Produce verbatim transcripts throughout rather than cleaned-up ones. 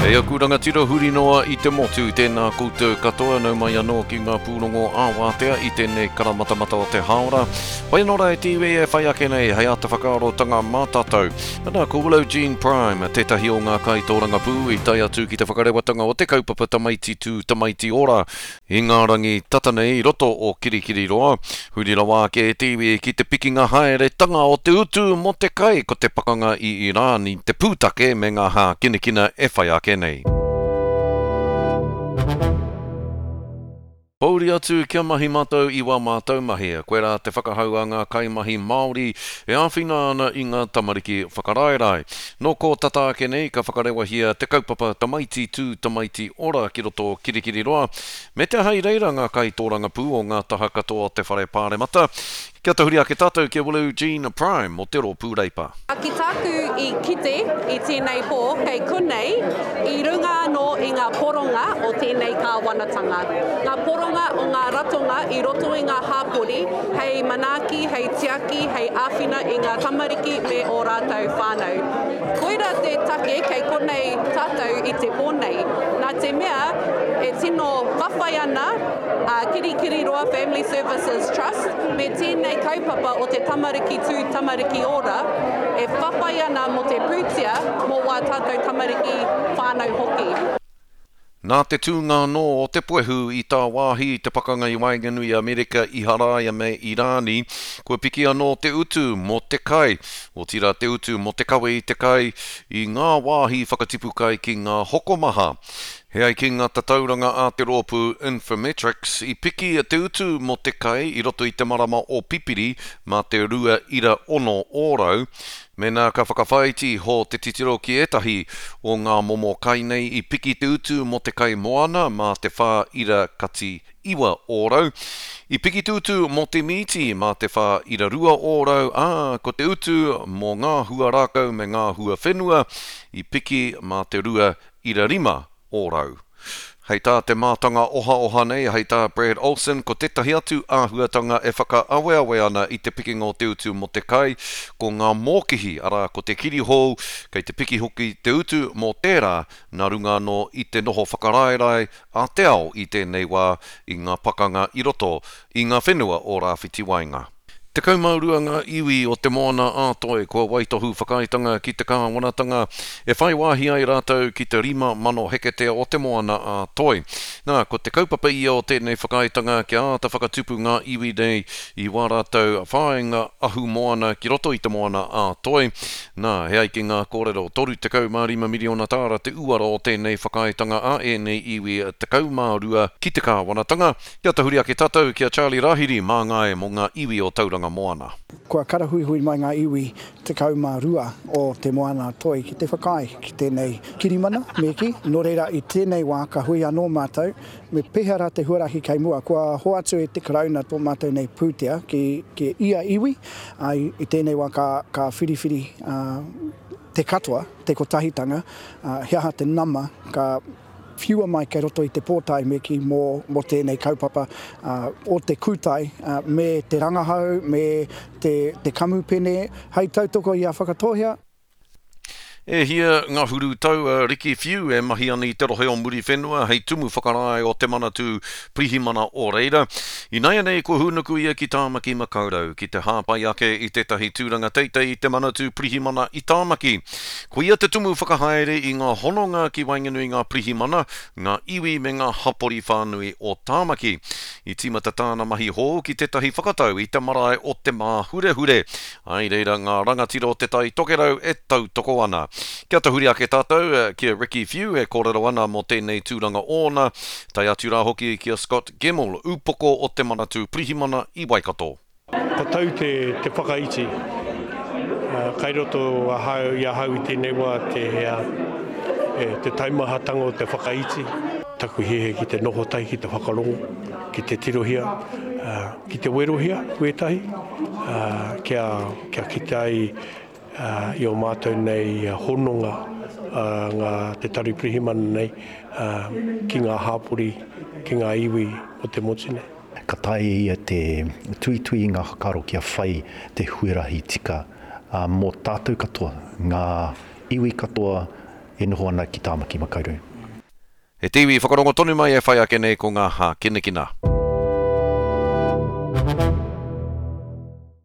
E aku rangatira huri noa i te motu, tēnā koutou katoa, nau mai anō ki ngā pūrongo ā-wātea i tēnei karamatamata o te hāora. Whai anō rā e te iwi e whai ake nei hei āta whakaarotanga mā tātou. Ana, ko Willow Jean Prime, tētahi o ngā kaitōrangapū i tae atu ki te whakarewatanga o te kaupapa Tamaiti Tū Tamaiti Ora i ngā rangi tata nei i roto o Kirikiriroa. Huri rawa ake e te iwi ki te pikinga haeretanga o te utu mō te kai, ko te pakanga i Irāni te pūtake me ngā hākinakina e whai ake nei. Pōuri atu kia mahi mātou i wā mātou mahi, koirā te whakahau a ngā kaimahi Māori e āwhina ana i ngā tamariki whakaraerae. Nō kō tata ake nei ka whakarewahia te kaupapa Tamaiti Tū Tamaiti Ora ki roto o Kirikiriroa, me te aha i reira ngā kaitōrangapū o ngā taha katoa o te Whare Pāremata. Kia tahuri ake tātou ki a Willow Jean Prime o te Rōpū Reipa. Ki tāku i kite i tēnei pō kei konei i runga anō i ngā poronga o tēnei kāwanatanga. Ngā poronga o ngā ratonga i roto i ngā hāpori hei manaaki, hei tiaki, hei āwhina i ngā tamariki me ō rātou whānau. Koira te take kei konei tātou i te pō nei. Nā te mea e tino whawhai ana a Kirikiriroa Family Services Trust me tēnei kaupapa o te Tamariki Tū Tamariki Ora e whawhai ana mō te pūtea mō wā tātou tamariki whānau hoki. Nā te tūnga anō o te puehu i tāwāhi i te pakanga i waenganui i Amerika, Iharaia me Irāni, kua piki anō te utu mō te kai, otirā te utu mō te kawe i te kai i ngā wāhi whakatipu kai ki ngā hokomaha. He ai ki ngā tatauranga a te rōpū Infometrics, i piki te utu mō te kai i roto i te marama o Pipiri mā te rua ira ono ōrau. Mēnā ka whakawhāiti iho te titiro ki ētahi o ngā momo kai nei i piki te utu mō te kai moana mā te whā ira kati iwa ōrau. I piki te utu mō te mīti mā te whā ira rua ōrau, ā, ko te utu mō ngā hua rākau me ngā hua whenua i piki mā te rua ira rima ōrau. Hei tā te mātanga ohaoha nei, hei tā Brad Olsen, ko tētahi atu āhuatanga e whakaaweawe ana i te pikinga o te utu mō te kai, ko ngā mōkihi, arā ko te kirihou, kei te piki hoki te utu mō tērā, nā runga anō i te noho whakaraerae a te ao i tēnei wā i ngā pakanga i roto i ngā whenua o Rāwhiti Waenga. Tekau mā rua ngā iwi o Te Moana a Toi kua waitohu whakaaetanga ki te kāwanatanga e whai wāhi ai rātou ki te rima mano heketea o Te Moana a Toi. Nā, ko te kaupapa ia o tēnei whakaaetanga kia āta whakatupu ngā iwi nei i wā rātou whāinga ahumoana ki roto i Te Moana a Toi. Nā, he ai ki ngā kōrero, toru tekau mā rima miriona tāra te uara o tēnei whakaaetanga a ēnei iwi tekau mā rua ki te kāwanatanga. Kia tahuri ake tātou ki a Charlie Rahiri māngai mō ngā iwi o Tauranga Moana. Kua karahuihui mai ngā iwi tekau mā rua o Te Moana a Toi ki te whakaae ki tēnei kirimana, me kī. Nō reira, i tēnei wā ka hui anō mātou, me pēhea rā te huarahi kei mua. Kua hoatu e te Karauna tō mātou nei pūtea ki, ki ia iwi, ā, i tēnei wā ka, ka whiriwhiri, ā, te katoa, te kotahitanga, ā, he aha te nama ka whiua mai kei roto i te pōtae me kī mō, mō tēnei kaupapa, ā, o te kūtai, ā, me te rangahau, me te, te kamupene, hei tautoko i a Whakatōhea. E hia ngahuru tau a Ricky Whiu e mahi ana i te rohe o Muriwhenua hei tumu whakarae o te Manatū Pirihimana o reira. Ināianei kua hūnuku ia ki Tāmaki Makaurau ki te hāpai ake i tētahi tūranga teitei i te Manatū Pirihimana i Tāmaki. Ko ia te tumu whakahaere i ngā hononga ki waenganui ngā pirihimana, ngā iwi me ngā hapori whānui o Tāmaki. I tīmata tāna mahi hou ki tētahi whakatau i te marae o Te Māhurehure. Ai reira ngā rangatira o Te Tai Tokerau e tautoko ana. Kia tahuri ake tātou ki a Ricky Whiu e kōrero ana mō tēnei tūranga ōna, tae atu rā hoki ki a Scott Gemmell, upoko o te Manatū Pirihimana i Waikato. Ko tau te, te whakaiti, kai roto ahau, i ahau i tēnei wā te, e, te taumahatanga o te whakaiti. Taku hiahia ki te noho tahi, ki te whakarongo, ki te tirohia, ki te werohia wētahi, kia, kia kite ai i o mātou nei hononga ngā te Tari Pirihimana nei ki ngā hāpori, ki ngā iwi o te motu nei. Ka taea ia te tuitui i ngā whakaaro kia whai te huarahi tika mō tātou katoa, ngā iwi katoa, e noho ana ki Tāmaki Makaurau. He te iwi whakarongo tonu mai e whai ake nei ko ngā hākinakina.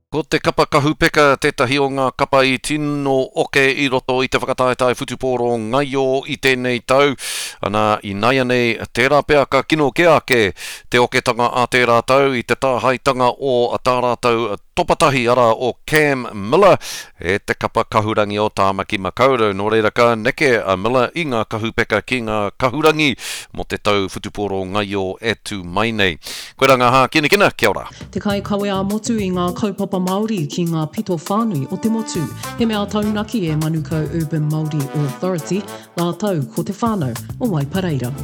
Ko te kapa kahupeka tētahi o ngā kapa i tino oke i roto i te whakataetae whutupōro ngaio i tēnei tau. Ana, inaianei, tērā pea ka kino kē ake te oketanga a tērā tau i te tāhaetanga o tā rātou topatahi, arā, o Cam Miller e te kapa kahurangi o Tāmaki Makaurau. Nō reira ka neke a Miller i ngā kahupeka ki ngā kahurangi mō te tau whutupōro ngaio e tū mai nei. Koirā ngā hākinakina, kia ora. Te kaikawe ā-motu i ngā kaupapa Māori ki ngā pito whānui o te motu. He mea taunaki e Manukau Urban Māori Authority, rātou ko te whānau o Waipareira.